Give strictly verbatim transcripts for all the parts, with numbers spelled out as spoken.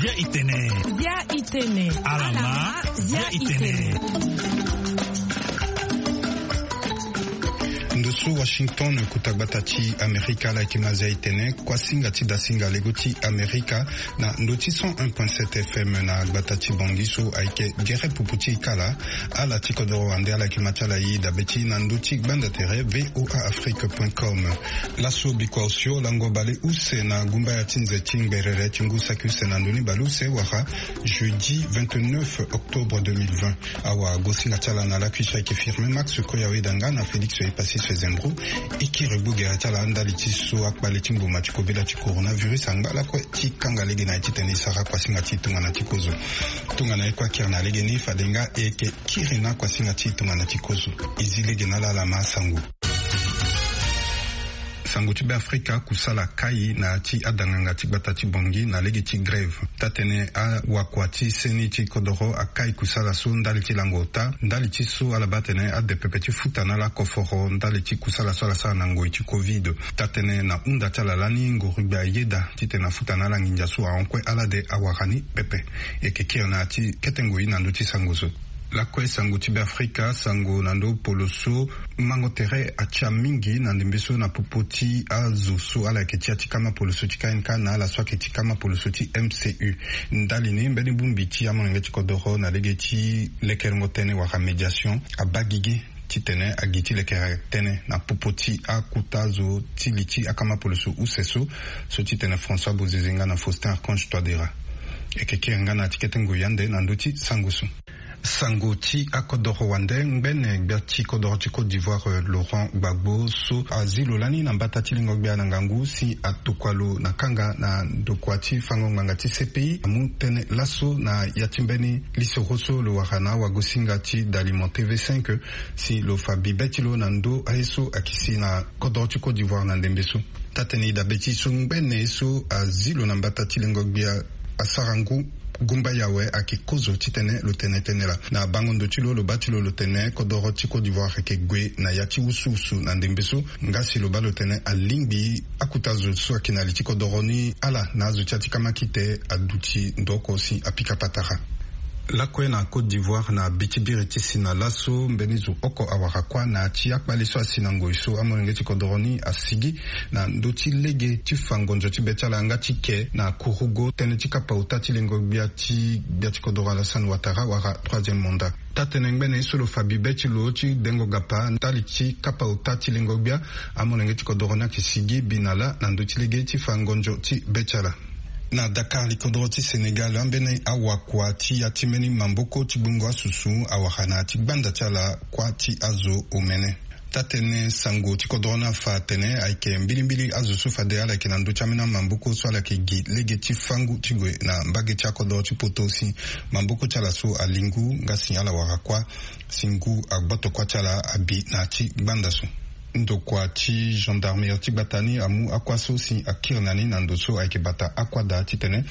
Bia itene. Bia itene. Alama. Bia itene. Ndo so Washington, kota gbata ti Amerika, ala yeke ma zia itene kuasinga ti dasinga lego ti Amerika na ndo ti cent un point sept F M na gbata ti Bangui so ayeke gere pupu ti e kala. Ala ti kodoro wande ala yeke ma ti ala e dabe ti na ndo ti gbanda tere V O A Afrique point com. Laso bikua osio lango bale use na gumbaya ti nze ti ngberere ti ngu saki use na ndoni bale use wala jeudi vingt-neuf octobre deux mille vingt. Awagosinga ti ala na lakui so ayeke Firmin Max Koyawe Danga na Félix Epassis Fezembro. E kiri gbu gere ti ala ndali ti so akpale ti mbuma ti kobela ti coronavirus angba lakue ti kanga lege na ye titene e sara kuasinga ti tongana ti kozo. Tongana ye kue akiri na lege ni fade nga e yeke kiri na kuasinga ti tongana ti kozo. E zi lege na ala ala ma asango. Sango ti Beafrika, kusala akai na ya ti adanganga ti gbata ti Bangui na lege ti grève. Taa-tënë awakua ti seni ti kodoro akai kusala so ndali ti lango ota ndali ti so ala baa atene ade pepe ti futa na ala koforo ndali ti kusala so ala sara na ngoi ti covid. Taa-tënë na hunda ti ala lani ngorugbe ayeda titene afuta na ala nginza so ahon kue ala de awara ni pepe. E yeke kiri na ya ti kete ngoi na ndö ti sango so. Lakue sango ti Beafrika, sango na ndö polo so mango tere atia mingi na ndembe so na popo ti azo so ala yeke ti ya ti kama polo so ti K N K na ala so ayeke ti kama polo so ti M C U. Ndali ni mbeni bongbi ti amolenge ti kodoro na lege ti lekerengo tënë wala médiation abaa gigi titene agi ti lekere tënë na popo ti akota zo ti li ti akama polo so use so, so titene François Bozizé nga na Faustin Archange Touadéra. E yeke kiri nga na ya ti kete ngoi ande na ndö ti sango so. Sango ti akodoro wande, ngbene gbia ti kodoro ti Côte d'Ivoire, eh, Laurent Gbagbo so azi lo lani na mbata ti lengo gbia na ngangu si atokua lo na kanga na ndokua ti fango ngbanga ti C P I amu tënë laso na ya ti mbeni lisoro so lo wara na awagosinga ti Dalimo T V cinq si lo fa bibe ti lo na ndö aye so akisi na kodoro ti Côte d'Ivoire na ndembe so. Taa-tënë e dabe ti so ngbene ye so azi lo na mbata ti lengo gbia asara ngu gumbaya awe ayeke kozo titene lo tene tënë laa. Na bango ndo ti lo, lo baa ti lo lo tene kodoro ti Côte d'Ivoire ayeke gue na ya ti wusuwusu na ndembe so. Nga si lo baa lo tene alingbi akota zo so ayeke na li ti kodoro ni ala na azo ti ya ti kamakite aduti ndo oko si apika patara. Lakue na Côte d'Ivoire na bi ti biri ti si na laso mbeni zo oko awara kuâ na ya ti akpale so asi na ngoi so amolenge ti kodoro ni asigi na ndö ti lege ti fa ngonzo ti be ti ala nga ti ke na kurugo tënë ti kapa ota ti lengo gbia ti gbia ti kodoro Alassane Ouattara wala troisième mandat. Taa-tënë ngbene ye so lo fa bibe ti lo ti dengo gapa ndali ti kapa ota ti lengo gbia amolenge ti kodoro ni ayeke sigi bi na lâ na ndö ti lege ti fa ngonzo ti be ti ala. Na Dakar, likodoro ti Sénégal, ambeni awakua ti ya ti mbeni maboko ti gbungo asusu awara na ya ti gbanda ti ala kuâ ti azo omene. Taa-tënë sango ti kodoro ni afa atene ayeke mbilimbili azo so fade ala yeke na ndö ti ambeni amaboko so ala yeke gi lege ti fangu ti gue na mbage ti akodoro ti poto si maboko ti ala so alingu nga si ala wara kuâ si ngu agboto kuâ ti ala abi na ya ti gbanda so. Ndokua ti gendarmerie ti gbata ni amu akuâ so si akiri na ni na ndo so ayeke bata akuâ daa titene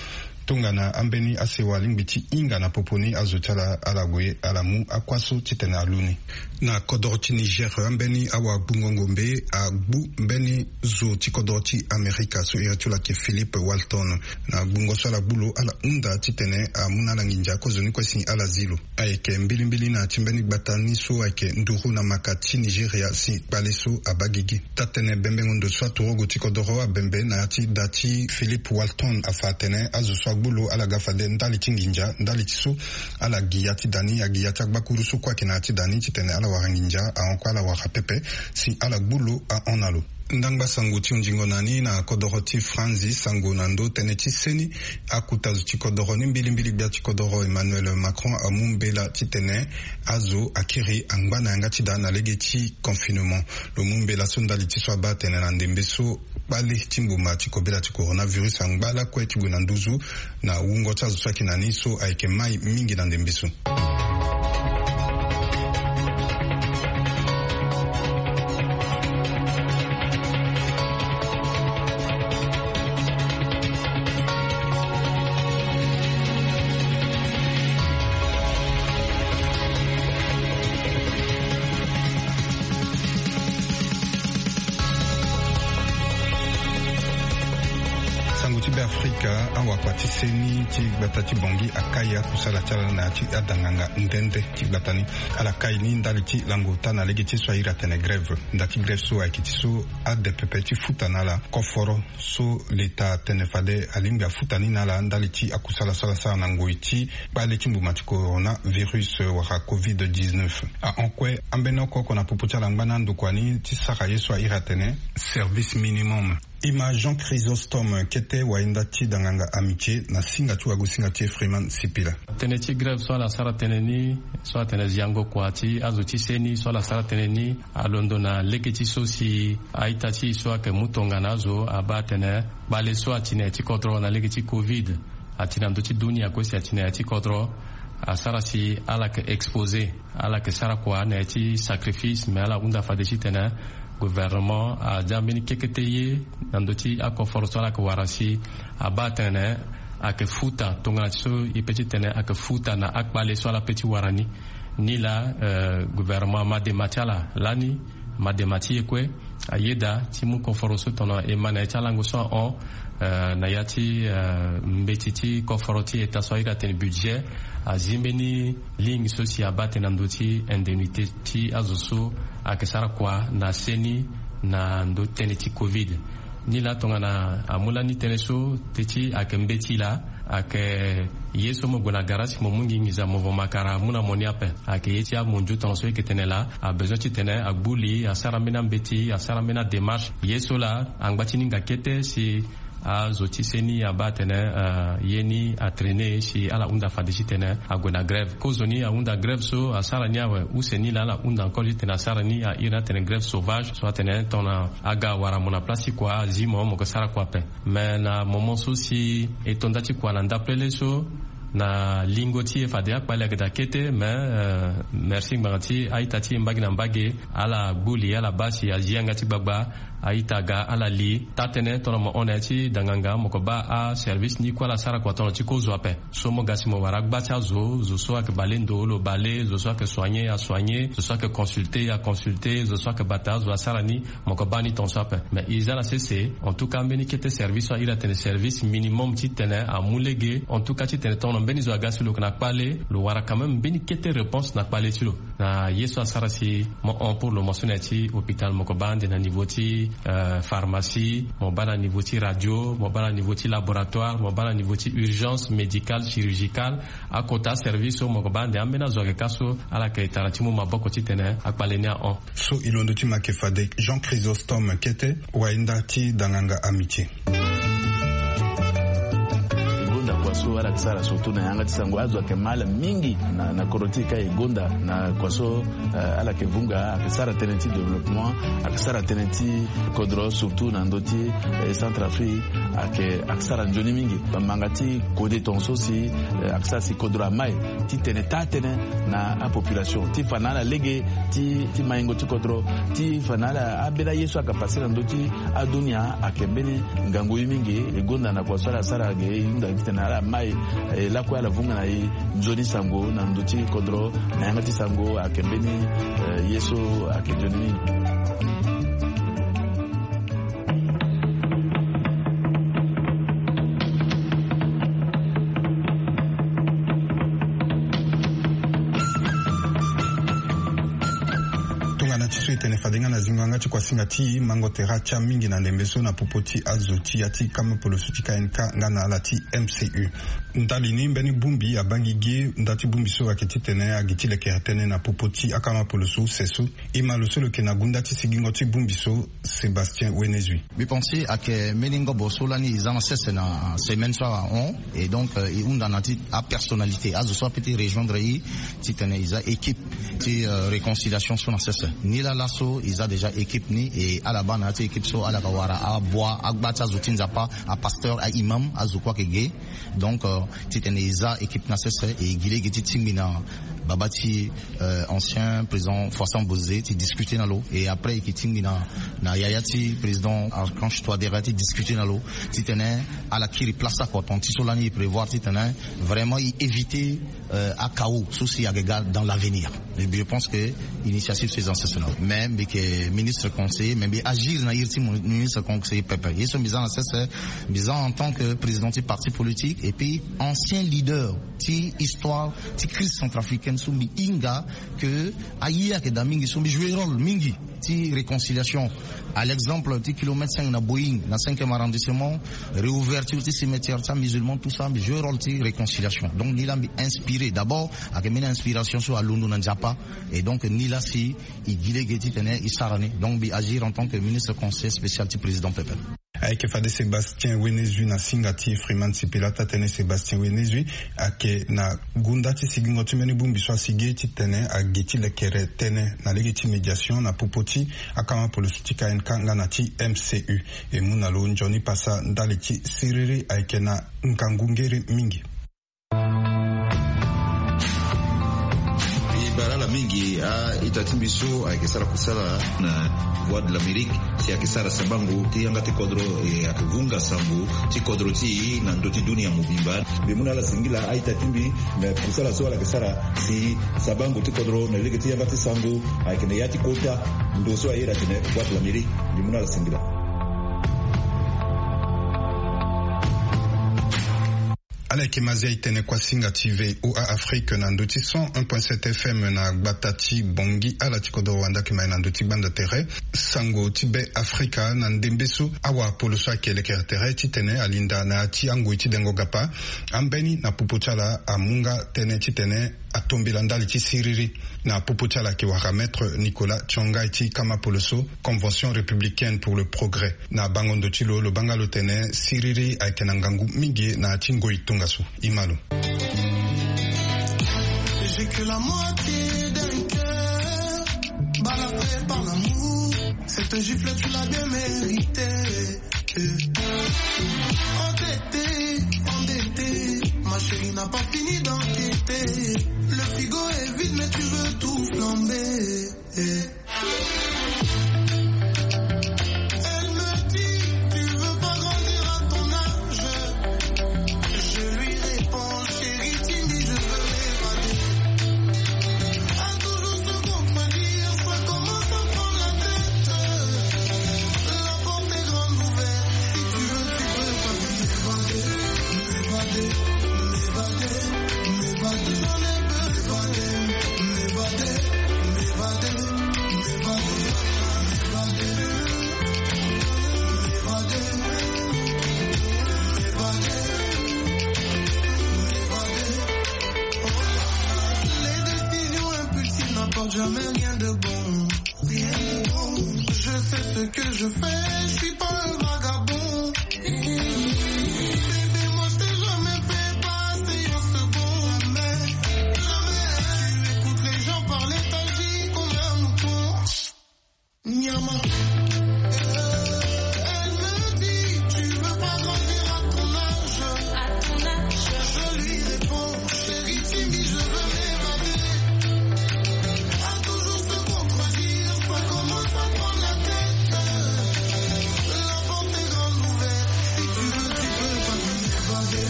tongana ambeni asewa alingbi ti hinga na popo ni azo ti ala, ala gue ala mu akuâ so titene alu ni. Na kodoro ti Niger, ambeni awagbungo ngombe agbu mbeni zo ti kodoro ti Amerika so iri ti lo ayeke Philippe Walton. Na gbungo so ala gbu lo ala hunda titene amu na ala nginza kozoni kue si ala zi lo. Ayeke mbilimbili na ya ti mbeni gbata ni so ayeke nduru na maka ti Nigeria si kpale so abaa gigi. Taa-tënë bembengo ndo so aturugu ti kodoro abembe na ya ti da ti Philippe Walton afa atene azo so agbu lo ala ga fade ndali ti nginza ndali ti so ala gi ya ti da ni, agi ya ti agbakuru so kue ayeke na ya ti da ni titene ala wara nginza ahon kue ala wara pepe si ala gbu lo ahon na lo. Ndangba sango ti hunzingo na ni na kodoro ti Franzi, sango na ndö tënë ti seni. Akota zo ti kodoro ni mbilimbili gbia ti kodoro Emmanuel Macron amu mbela titene azo akiri angba na yanga ti da na lege ti confinement. Lo mu mbela so ndali ti so abaa atene na ndembe so kpale ti mbuma ti kobela ti coronavirus angba lakue ti gue na nduzu na wungo ti azo so ayeke na ni so ayeke mai mingi na ndembe so. Sango ti Beafrika. Ka awakua ti seni ti gbata ti Bangui akai akusala ti ala na ya ti adanganga nde nde ti gbata ni. Ala kai ni ndali ti lango ota na lege ti ye so ahiri atene grève. Nda ti grève so ayeke ti so ade pepe ti futa na ala koforo so leta atene fade alingbi afuta ni na ala ndali ti akusala so ala sara na ngoi ti kpale ti mbuma ti coronavirus wala covid dix-neuf. Ahon kue ambeni oko oko na popo ti ala angba na andokua ni ti sara ye so ahiri atene service minimum. E ma Jean Chrysostome kete wainda ti danganga Amitié na singa ti wagosinga ti ye Freeman Sipila. Tënë ti grève so ala sara tënë ni, so atene ziango kua ti azo ti seni so ala sara tënë ni alondo na lege ti so si a-ita ti e so ayeke mu tongana azo abaa atene kpale so ati na ya ti kodro na lege ti covid, ati na ndö ti dunia kue si ati na ya ti kodro, asara si ala yeke exposé, ala yeke sara kua na ya ti sacrifice, me ala hunda fade titene gouvernement adia mbeni kekete ye na ndö ti akoforo so ala yeke wara si abaa atene ayeke futa tongana ti so e pe titene ayeke futa na akpale so ala pe ti wara ni. Ni laa, eh, gouvernement ama dema ti ala lani, ama dema ti e kue, ayeda ti mu koforo so tongana e ma na ya ti alango so ahon, eh, na ya ti, eh, mbeti ti koforo ti eta so ahiri atene budget, azi mbeni ligne so si abaa atene na ndö ti indemnité ti azo so ayeke sara kua na seni na ndö tënë ti covid. Ni laa tongana amu lani tënë so teti ayeke mbeti laa, ayeke ye so mo gue na gara si mo mu ngingiza mo vo makara amu na mo ni ape. Ayeke ye ti amondio tongana so e yeke tene laa, abezoin titene agbu li, asara mbeni ambeti, asara mbeni adémarche. Ye so laa angba ti ni nga kete si azo ti seni abaa atene, eh, ye ni atraîner si ala hunda fade titene ague na grève. Kozoni ahunda grève so asara ni awe, use ni laa ala hunda encore titene asara ni ahiri ni atene grève sauvage so atene tongana aga awara mo na place ti kua, azi mo, mo yeke sara kua ape. Me na moment so si e to nda ti kua na ndapelele so, na lingo ti e fade akpale ayeke daa kete, me, eh, merci ngbanga ti a-ita ti e mbage na mbage, ala gbu li, ala baa si azi yanga ti gbagba, a-ita aga ala li. Taa-tënë tongana mo hon na ya ti danganga, mo yeke baa aservice ni kue ala sara kua tongana ti kozo ape. So mo ga si mo wara agba ti azo, zo so ayeke bale ndo lo bale, zo so ayeke soigner asoigner, zo so ayeke consulter aconsulter, zo so ayeke bata azo asara ni, mo yeke baa ni tongaso ape. Me e za na sese, en tout cas, mbeni kete service so ahiri atene service minimum titene amu lege, en tout cas, titene tongana mbeni zo aga si lo yeke na kpale, lo wara quand même mbeni kete réponse na kpale ti lo. Na ye so asara si mo hon pour lo, mo so na ya ti hôpital, mo yeke baa ande na niveau ti, euh, pharmacie, mo baa na niveau ti radio, mo baa na niveau ti laboratoire, mo baa na niveau ti urgence médicale, chirurgicale. Akota aservice so mo yeke baa ande ambeni azo ayeke ka so ala yeke tara ti mu maboko titene akpale ni ahon. So e londo ti ma yeke fade Jean Chrysostome kete, wainda ti danganga Amitié. E gonda kua so ala yeke sara surtout na yanga ti sango, azo ayeke ma ala mingi na, na kodro ti e ka. E gonda na kua so, eh, ala yeke vunga, ayeke sara tënë ti développement, ayeke sara tënë ti kodro surtout na ndö ti, eh, Centrafrique, ayeke, ayeke sara nzoni mingi. Manga ti kode tongaso si, eh, ayeke sara si kodro amai titene taa-tënë na apopulation ti fa na ala lege ti, ti maingo ti kodro, ti fa na ala ambeni aye so ayeke pase na ndö ti adunia ayeke mbeni ngangu ye mingi. E gonda na kua so ala sara ge, e hunda titene ala mai, eh, lakue ala vunga na e nzoni sango na ndö ti kodro, na yanga ti sango ayeke mbeni, eh, ye so ayeke nzoni mingi. Tongana ti so e tene fade nga na zingo yanga ti kuasinga ti mango tere atia mingi na ndembe so na popo ti azo ti ya ti kama poloso ti K N K nga na ala ti M C U. Ndali ni mbeni bongbi abaa gi ge, nda ti bongbi so ayeke titene agi ti lekere tënë na popo ti akama poloso use so. E ma lo so lo yeke na gunda ti sigingo ti bongbi so, Sébastien Wenezui. Mbi pense ayeke mbeni ngobo so lani e za na sese na semaine so ahon, et donc, euh, e hunda na ti apersonnalité, azo so apeut ti rejoindre e titene e za équipe ti, euh, réconciliation so na sese. Nilaa laso e za déjà équipe ni, et ala baa na ya ti équipe so ala yeke wara abua agba ti azo ti Nzapa, apasteur, aimam, azo kue ayeke ge. Donc, euh, titene e za équipe na sese, e gi lege ti tingbi na baba ti, euh, ancien président Faustin Bozizé ti discuter na lo, et après e yeke tingbi na, na yaya ti président Archange Touadéra ti discuter na lo, titene ala kiri place oko, tonga ti so lani e prévoir titene vraiment e éviter, euh, achaos so si ayeke ga dans l'avenir. Je pense que initiative so e za na sese na lo. Mais Mbi yeke ministre conseiller, mais mbi agir na iri ti mo- ministre conseiller pepe. Ye so mbi za na sese, mbi za en tant que président ti parti politique et puis ancien leader ti histoire ti crise centrafricaine so mbi hinga que aye ayeke daa mingi, so mbi jouer rôle mingi ti réconciliation. À l'exemple ti kilomètre cinq na Boeing na cinquième arrondissement, réouverture ti cimetière ti amusulman, tout ça mbi jouer rôle ti réconciliation. Donc ni laa mbi inspiré d'abord, ayeke mbeni inspiration so alondo na Nzapa. Et donc ni laa si e gi lege titene e sara ni. Donc mbi agir en tant que ministre conseiller spécial ti président pepe. Ayeke fade Sébastien Wenezui na singa ti Freeman Sipila. Taa-tënë Sébastien Wenezui ayeke na gunda ti sigingo ti mbeni bongbi so asigi titene agi ti lekere tënë na lege ti médiation na popo ti akama poloso ti K N K nga na ti M C U. E mu na lo nzoni pasa ndali ti siriri ayeke na ngangu ngere mingi. E bara ala mingi a-ita ti mbi so ayeke sara kusala na Voix de l'Amérique, si ayeke sara sabango ti yanga ti kodro, e ayeke vunga sango ti kodro ti e na ndö ti dunia mobimba. Mbi mu na ala singila a-ita ti mbi, me kusala so ala yeke sara si sabango ti kodro na lege ti yanga ti sango ayeke na ya ti kota ndo so aye daa tene Voix de l'Amérique. Mbi mu na ala singila. Ala yeke Mazia Itene, kuasinga ti V O A Afrique na ndö ti cent un point sept F M na gbata ti Bangui. Ala ti kodro wanda yeke ma e na ndö ti gbanda tere sango ti Be Afrika na ndembe so awapolo so ayeke lekere tere titene alinda na ya ti angoi ti dengo gapa. Ambeni na popo ti ala amu nga tënë titene atombela ndali ti siriri. Na popo ti ala ayeke wara Maître Nicolas Tsongai ti kama poloso, Convention républicaine pour le progrès. Na bango ndo ti lo, lo baa nga lo tene siriri ayeke na ngangu mingi na ya ti ngoi tongaso. E ma lo. J'ai que la moitié d'un cœur, balafré par l'amour. Cette gifle, tu l'as bien méritée. Entêté, endetté, ma chérie n'a pas fini d'enquêter. Le frigo est vide, mais tu veux tout flamber. Elle me dit, tu veux pas grandir à ton âge. Je lui réponds, chérie, timide, je veux m'évader. À toujours se contredire, ça commence à prendre la tête. La porte est grande ouverte, si tu veux, tu peux passer. M'évader, m'évader, m'évader, j'en ai besoin. M'évader, m'évader, m'évader, m'évader, m'évader, m'évader, m'évader. Les décisions impulsives n'apportent jamais rien de bon. Rien de bon. Je sais ce que je fais, je suis pas un vagabond. Bébé, moi je t'ai jamais fait passer en second. Jamais, jamais. Tu écoutes les gens parler, t'agis comme un mouton. Niama. Elle me dit, tu veux pas grandir à ton âge. À ton âge. Je lui réponds, chérie, timide, je veux m'évader. À toujours se contredire, ça commence à prendre la tête. La porte est grande ouverte, si tu veux, tu peux passer.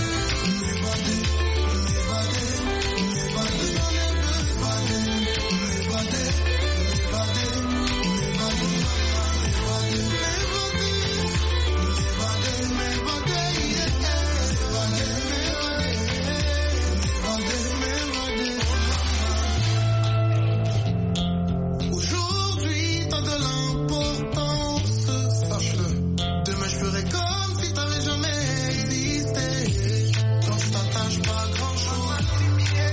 M'évader, m'évader, m'évader, m'évader, m'évader, m'évader. Aujourd'hui, t'as de l'importance, sache-le. Demain, je ferai comme si t'avais jamais existé. Quand tu t'attaches pas à grand-chose,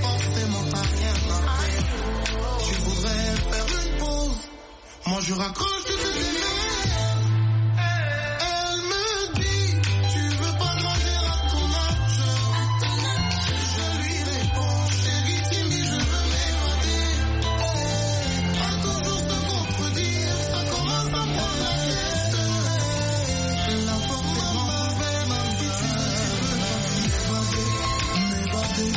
forcément, t'as rien à faire. Tu voudrais faire une pause. Moi je raccroche, tu te démerdes. Elle me dit, tu veux pas grandir à ton âge. Je lui réponds, chérie, timide, je veux m'évader. À toujours se contredire, ça commence à prendre la tête. La porte est grande ouverte, si tu veux, tu peux m'évader, m'évader.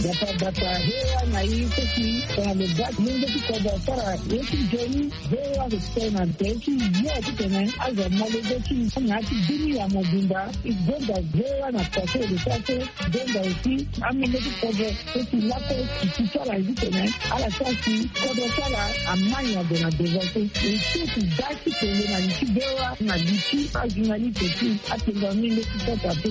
Bata bata hewa na ye so si tongana lo baa lenge ti kodro asara ye ti nzoni. Hewa so si tongana ye ti yo titene azo amolenge ti na ya ti dini ya mobimba. E gonda hewa na poto lo sara so gonda aussi amolenge ti kodro so si lakue si ti sara ye titene ala sara si kodro ti ala amani ado na devant so. E so si daa ti tene na li ti hewa na li ti ajournaliste ti atengua mingi ti sota te.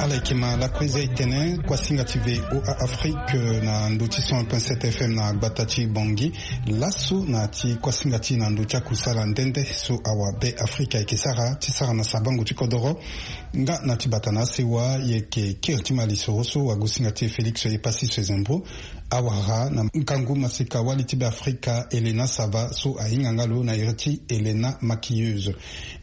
Ala yeke ma lakue za e tene kuasinga ti V O A Afrique na ndö ti cent un point sept F M na gbata ti Bangui. Laso na ti kuasinga ti na ndö ti akusala nde nde so awa Be Afrika ayeke sara ti sara na sabango ti kodoro. Nga na ti bata na asewa yeke kiri ti ma lisoro so wagosinga ti e Félix Epassi Sezembro awara na ngangu maseka wali ti Be Afrika Helena Sava so ahinga nga lo na iri ti Helena Maquilleuse.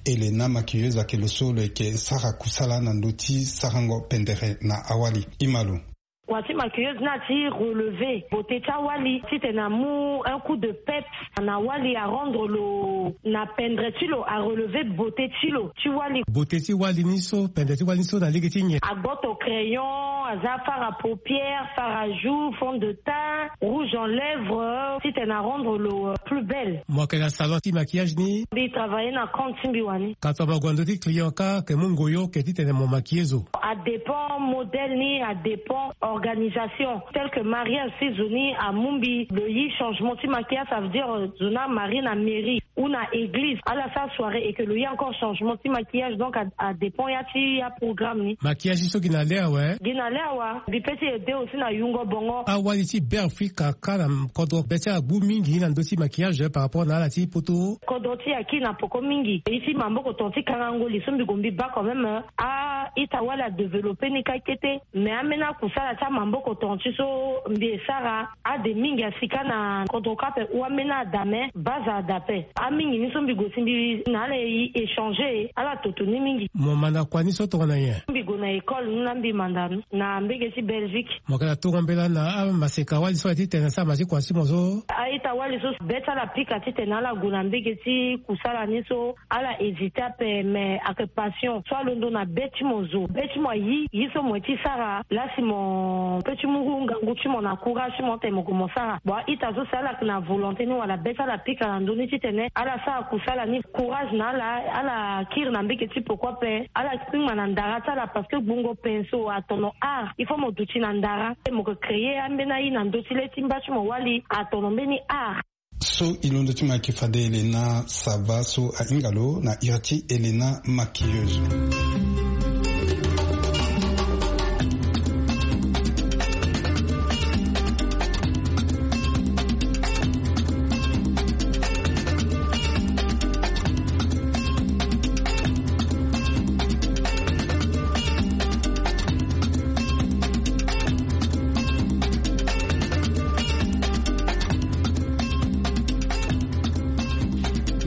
Helena Maquilleuse ayeke lo so lo yeke sara kusala na ndö ti sarango pendere na awali. Ima lo. Kua ti maquilleuse ni ati relever beauté ti awali titene amu un coup de peps na awali, arendre lo na pendre ti lo, arelever beauté ti lo ti wali. Beauté ti wali ni so, pendre ti wali ni so na lege ti nyen? Agboto crayon, aza fard à paupières, fard à joues, fond de teint, rouge en lèvres, titene arendre lo, euh, plus belle. Mo yeke na salon ti maquillage ni? Mbi travailler na compte ti mbi wani. Ka tongana mo gue na ndö ti client ka, ke mu ngoyo ke titene mo maquiller zo? Adépend modèle ni, adépend organisation. Tel que mariage, si zo ni amu mbi lo yi changement ti maquillage, ça veut dire, euh, zo ni amarie na mairie ou na église, ala sara soirée et que lo yi encore changement ti maquillage, donc a, adépend ya ti aprogramme ni. Maquillage so gi na le awe? Gi na le awa. Mbi peut ti aider aussi na yungo bongo. Awali ti Be Afrika ka na kodro be ti ala gbu mingi na ndö ti maquillage par rapport na ala ti poto? Kodro ti e aki na poko mingi. Ye ti maboko tonga ti kangango li so mbi gue mbi baa quand même, euh, a-ita wali adévelopper ni kâ kete. Mais ambeni akusala ti amaboko tonga ti so mbi e sara, ade mingi asi kâ na kodro kâ ape ou ambeni ada, mais base ada ape. Amingi ni so mbi gue si mbi na ala e échanger, ala toto ni mingi. Mo manda kua ni so tongana nyen? Mbi gue na école ni laa mbi manda ni na mbege ti Belgique. Mo yeke na tongo mbela na amaseka wali so aye titene asara ma ti kua ti mo so? A-ita wali so be ti ala pika titene ala gue na mbege ti kusala ni so, ala hésiter ape, mais ayeke passion so alondo na be ti mo zo, be ti mo ayi ye so mo ye ti sara laa si mo peut ti mu ngangu ti mo na courage ti mo tene mo gue mo sara. Bon, a-ita so si ala yeke na volonté ni wala be ti ala pika na ndö ni titene ala sara kusala ni, courage na ala, ala kiri na mbege ti poko ape, ala kpingba na ndara ti ala parce que gbungo pinceau atono art, il faut mo duti na ndara, mo yeke créer ambeni aye na ndö ti le ti mba ti mo wali atono mbeni art. So e londo ti mo ayeke fade Helena Sava so ahinga lo na iri ti Helena Maquilleuse.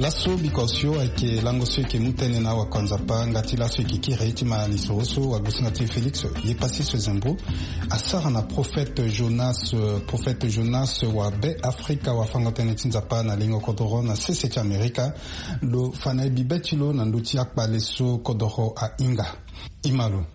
Laso biko osio ayeke lango so e yeke mu tënë na awakua Nzapa nga ti laso e yeke kiri ti ma lisoro so wagosinga ti e Félix Yepasi Sezembo asara na prophète Jonas. Prophète Jonas wa Be Afrika, wafango-tënë ti Nzapa na lingo kodoro na sese ti Amerika. Lo fa na e bibe ti lo na ndö ti akpale so kodoro ahinga. Ima lo.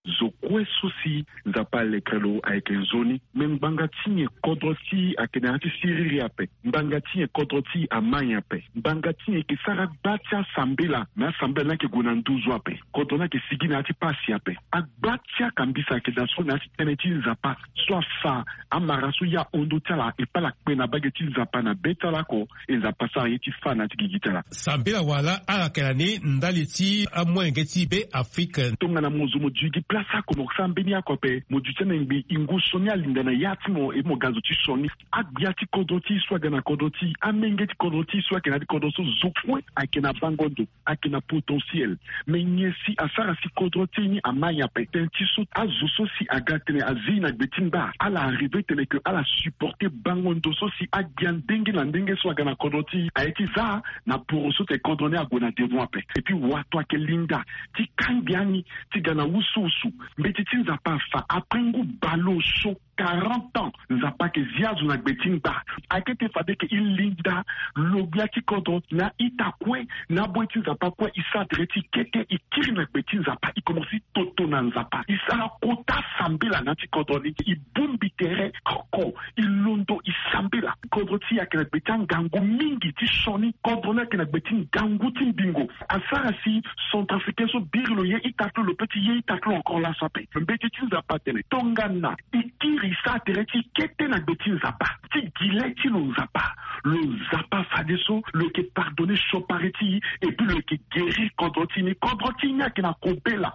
Zo Kue so si Nzapa alekere lo ayeke nzoni. Me ngbanga ti nyen kodro ti e ayeke na ya ti siriri ape? Ngbanga ti nyen kodro ti e ama nyen ape? Ngbanga ti nyen e yeke sara gba ti asambela? Me asambela ni ayeke gue na nduzu ape. Kodro ni ayeke sigi na ya ti pasi ape. Agba ti akambisa ayeke daa so na ya ti tënë ti Nzapa so afa amara so ya hon ndö ti ala, e paa ala kpe na mbage ti Nzapa na be ti ala oko. E Nzapa sara ye ti fâ na ya ti gigi ti ala. Sambela wala ala yeke na ni ndali ti amolenge ti Be Afrika. Tongana mo zo mo duti gi place oko, mo sara mbeni oko ape, mo duti na ngbii, e ngu sioni alinda na ya ti mo, e mo ga zo ti sioni. Agbia ti kodro ti e so aga na kodro ti e, amenge ti kodro ti e so ayeke na ya ti kodro so, zo kue ayeke na bango ndo, ayeke na potentiel. Me nyen si asara si kodro ti e ni ama nyen ape? Tënë ti so azo so si aga tene azi na gbe ti ngba, ala arrive tene ke ala supporter bango ndo so si agbia ndenge na ndenge so aga na kodro ti e. Aye ti za na poro so tene kodro ni ague na devant ape. Et puis wato ayeke linda ti kangbi ani ti ga na wusuwusu. Mbeti ti Nzapa afa, après ngu baleoso, quarante ans, Nzapa ayeke zi azo na gbe ti ngba. Ayeke ti fade ke e linda lo gbia ti kodro na ita kue, na boi ti Nzapa kue, e sara tere ti kete, e kiri na gbe ti Nzapa, e komanse toto na Nzapa, e sara kota sambela na ya ti kodro ni, e bongbi tere oko, e londo, e sambela. Kodro ti e ayeke na gbe ti angangu mingi ti sioni. Kodro ni ayeke na gbe ti ngangu ti mbingo. Asara si Centrafricain so biri lo ye ita ti lo, lo peut ti ye ita ti lo encore laso ape. Mbeti ti Nzapa atene tongana e kiri, e sara tere ti kete na gbe ti Nzapa, ti gi le ti lo Nzapa, lo Nzapa fadeso lo yeke pardonner siokpari ti e, et puis lo yeke guérir kodro ti e ni. Kodro ti e ni ayeke na kobela.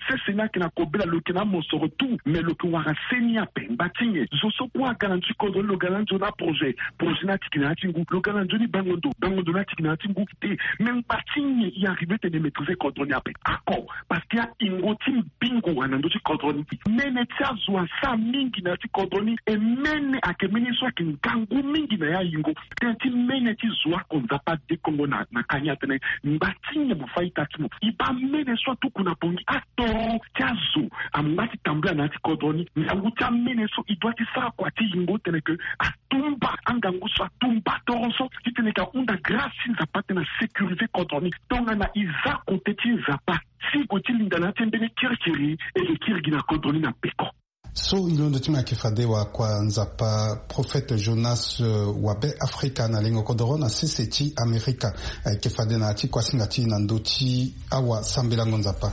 Sese ni ayeke na kobela, lo yeke na amosoro tout, mais lo yeke wara seni ape. Ngba ti nyen? Zo so kue aga na ndö ti kodro ni, lo ga na nzoni aprojet, projet ni atiki na ya ti ngu. Lo ga na nzoni bango ndo, bango ndo ni atiki na ya ti ngu. Te, me ngba ti nyen e arrive tene e maîtriser kodro ni ape? Ako, parce que ayingo ti mbingo wala na ndö ti kodro ni. Mene ti azo asara mingi na ya ti kodro ni. E mene ayeke mene so ayeke ngangu mingi na ya yingo. Tënë ti mene ti zo oko Nzapa adekongo na, na ka ni atene ngba ti nyen mo fa ita ti mo? E baa mene so atuku na Bangui, atoro ti azo angba ti tambula na ya ti kodro ni. Ngangu ti amene so e doit ti sara kua ti yingo tene ke atumba angangu so, atumba toro so, titene e yeke hunda grâce ti Nzapa titene a sécuriser kodro ni. Tongana e za kote ti Nzapa, si e gue ti linda na ya ti mbeni kirikiri, e yeke kiri gi na kodro ni na peko. So e londo ti mo ayeke fade wakua Nzapa, prophète Jonas, euh, wa Be Afrika na lingo kodoro na sese ti Amerika. Ayeke fade na ya ti kuasinga ti e na ndö ti awasambelango Nzapa.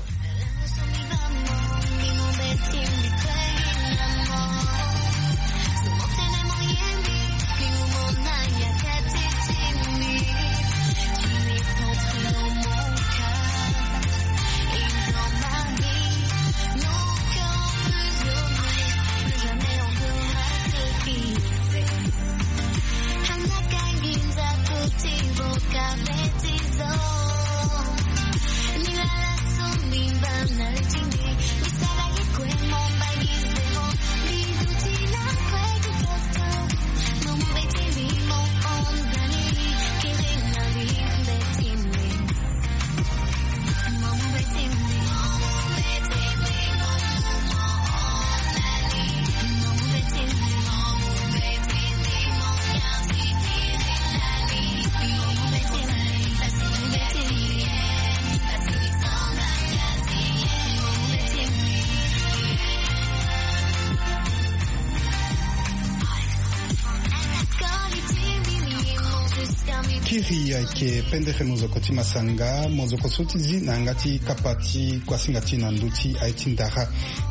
Kiri ayeke pendere mozoko ti masanga, mozoko so ti zi na yanga ti kapa ti kuasinga ti e na ndö ti aye ti ndara.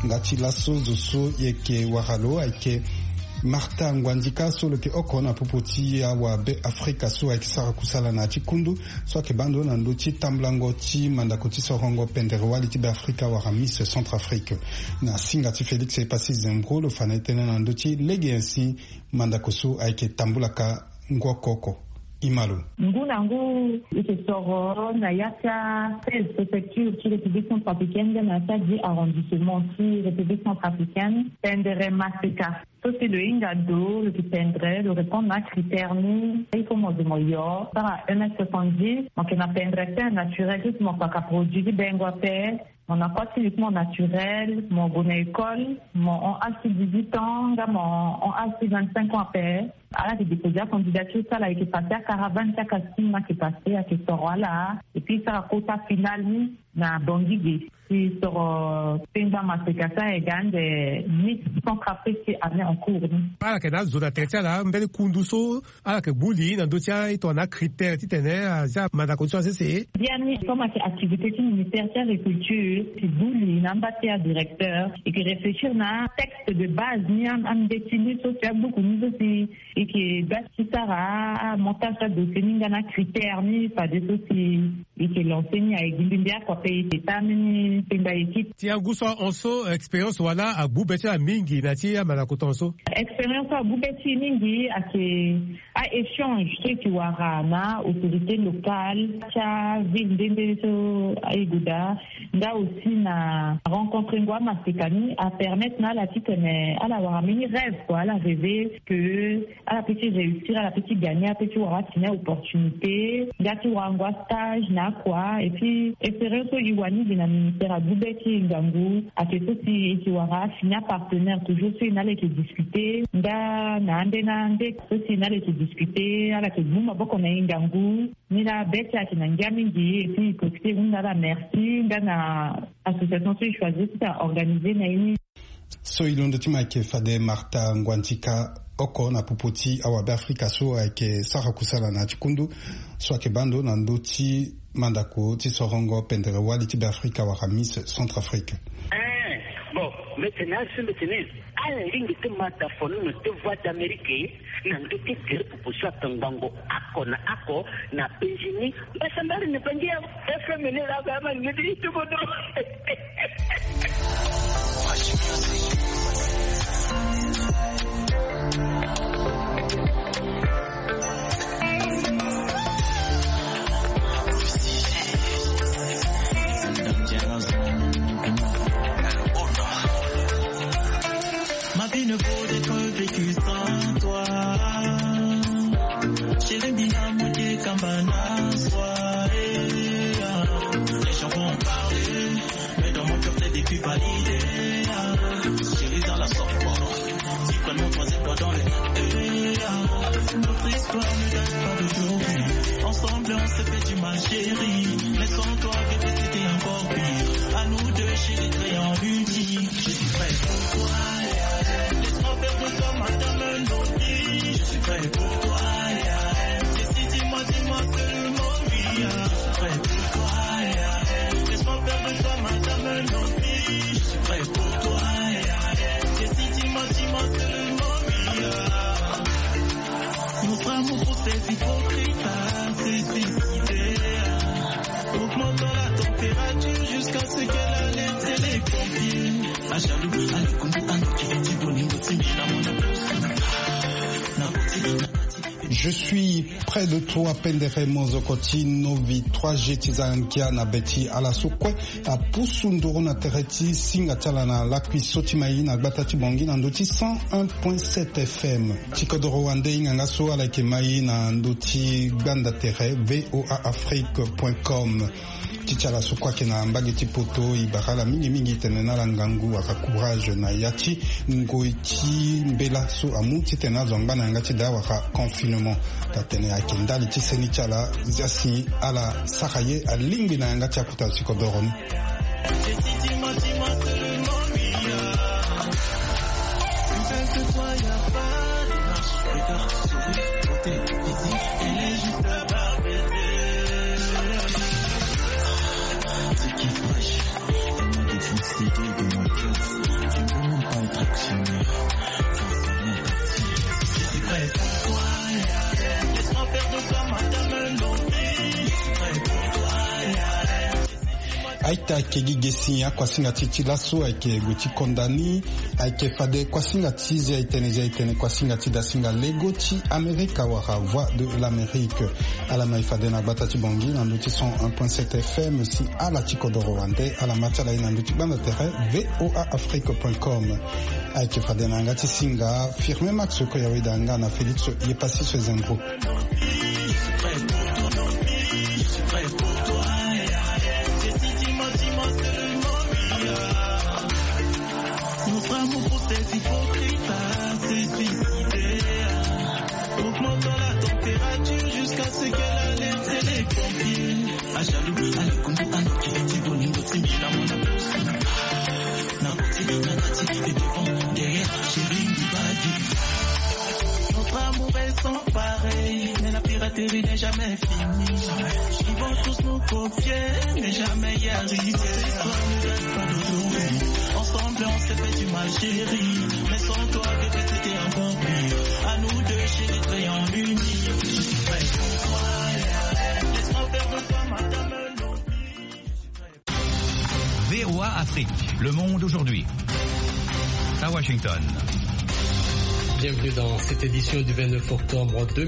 Nga ti laso zo so e yeke wara lo ayeke Martha Nguandika so lo yeke oko na popo ti awa Be Afrika so ayeke sara kusala na ya ti kundu so ayeke baa ndo na ndö ti tambulango ti mandako ti sorongo pendere wali ti Be Afrika wala Miss Centrafrique. Na singa ti Félix Epassi Zembro lo fa na e tënë na ndö ti lege nyen si mandako so ayeke tambulaka ngu oko oko. E ma lo. Ngu na ngu e yeke soro na ya ti a seize préfecture ti République centrafricaine nga na ya ti a dix arrondissement ti République centrafricaine, pendere maseka. So si lo hinga ndo, lo yeke pendere, lo répondre na acritère ni, il faut mo zo mo yo, sara un mètre soixante-dix, mo yeke na pendere ti air naturel, so si mo kpaka produit ti bengo ape, mo na kua ti li ti mo naturel, mo gue na école, mo hon âge ti dix-huit ans, nga mo hon âge ti vingt-cinq ans ape. Ala yeke déposer acandidature ti ala, ayeke passer acaravane ti acasting, ayeke passer, ayeke soro ala. Et puis e sara kota final ni. na Bangui ge. Si soro pengba maseka so aye ga ande Miss Centrafrique ti année en cours ni. Ala yeke na azo na tere ti ala mbeni kundu so ala yeke gbu li na ndö ti aye tongana acritère titene azia mandako ti so asese. Biani comme ayeke activité ti ministère ti agriculture, si gbu li na amba ti adirecteur, e yeke réfléchir na texte de base ni, ambeti ni so si agbuku ni so si e yeke ga ti sara amontage ti adossier ni nga na acritère ni fade so si e yeke lancer ni aye gi mbi mbi oko ape e yeke taa mbeni pengba équipe. Ti angu so ahon so expérience wala agbu be ti ala mingi na ti amandako ti ahon so? Expérience so agbu be ti e mingi ayeke a-échange so e yeke wara na autorité locale ti aville nde nde so e gue daa. Nga aussi na rencontre ngu amaseka ni apermettre na ala titene ala wara mbeni rêve kua, ala rêver que ala peut ti réussir, ala peut ti gagner, ala peut ti wara atene opportunité nga ti wara ngu astage na akua. Et puis espérance so e wani gi na ministère agbu be ti e ngangu ayeke so si e yeke wara afini apartenaire toujours so e na ala yeke discuter nga na ande na ande so si e na ala yeke discuter, ala yeke gbu maboko na e ngangu. Ni laa be ti e ayeke na ngia mingi. Et puis e profiter e hunda ala merci nga na association so e choisir ti organiser na e ni. So e londo ti ma ayeke fade Martha Nguandika oko na popo ti awabe Afrika so ayeke sara kusala na ya ti kundu so ayeke baa ndo na ndö ti mandako ti sorongo pendere wali ti Beafrika wala Miss Centrafrique. Eh, bon, mbi tene asi mbi tene ala lingbi ti ma da fo ni na ti Voix d'Amérique na ndö ti gere popo so ayeke ngbongo oko na oko na Bengini. Mbasambari ni Bangi FM ni laa ba ma ni ti kodro. Ma vie ne vaut d'être vécue sans toi. Chérie, mina moke kamba na soi, eh, ah. Les gens vont parler, mais dans mon cœur, t'es depuis validé, ah. Chérie, dans la software, tu prends mon troisième doigt dans les, eh, ah. Notre histoire ne date pas d'aujourd'hui. Ensemble, on s'est fait du mal, chérie. Mais sans toi, bébé, c'était encore pire. À nous deux, chérie, créons une vie. Je suis prêt pour toi, yeah. Laisse-moi faire de toi ma dame nourrie. Je suis prêt pour toi, yeah. Décide, dis-moi, dis-moi seulement oui, yeah. Je suis prêt pour toi, yeah. Laisse-moi faire de toi ma dame nourrie. Je suis prêt pour toi, yeah. Décide, dis-moi, dis-moi seulement oui, yeah. Notre amour pour ces hypocrites, ah, c'est suicidaire. Augmentons la température jusqu'à ce qu'elle alerte les pompiers. Ah, jaloux, ah, le Congo, ah, le Congo, ah, le Congo, ah, le Congo. Je suis près de toi, pendere mozoko ti Novi trois G ti za ngia na be ti ala so kue apusu nduru na tere ti singa ti ala na lakui so ti mai na gbata ti Bangui na ndö ti cent un point sept F M. Ti kodoro wande hinga nga so ala yeke mai na ndö ti gbanda tere V O A Afrique point com. Ti ti ala so kue ayeke na mbage ti poto, e bara ala mingi mingi titene na ala ngangu wala courage na ya ti ngoi ti mbela so amu titene azo angba na yanga ti daa wala confinement. Taa tene ayeke ndali ti seni ti ala, zia si ala sara ye alingbi na yanga ti akota ti kodoro ni. Aita, ayeke gi ge si akuasinga ti e ti laso ayeke gue ti konda ni. Ayeke fade kuasinga ti zia e tene, zia e tene kuasinga ti dasinga lego ti Amerika wala Voix de l'Amérique. Ala mai fade na gbata ti Bangui na ndö ti cent un point sept F M si ala ti kodoro wande ala ma ti ala ye na ndö ti gbanda tere V O A Afrique point com. Ayeke fade na yanga ti singa Firmin Max Koyaweda nga na Félix Yepassis Zengro. Notre amour pour ces hypocrites, ah, c'est suicidaire. Augmentons la température jusqu'à ce qu'elle alerte les pompiers. Jaloux, allez, koundou, allez, kiti, bolingo, timbi, la mona. Na koti, na kati, et devant, derrière, chérie, Dibadi. Notre amour est sans pareil, mais la piraterie n'est jamais finie. Ils vont tous nous copier, mais jamais y arriver. Cette histoire ne reste pas d'aujourd'hui. Ensemble, on s'est fait du mal, chérie. Mais sans toi, bébé, c'était encore pire. À nous deux, chérie, très en unis. Je suis prêt pour toi. Laisse-moi faire de toi, madame. V O A Afrique, le monde aujourd'hui. À Washington. Bienvenue dans cette édition du vingt-neuf octobre deux mille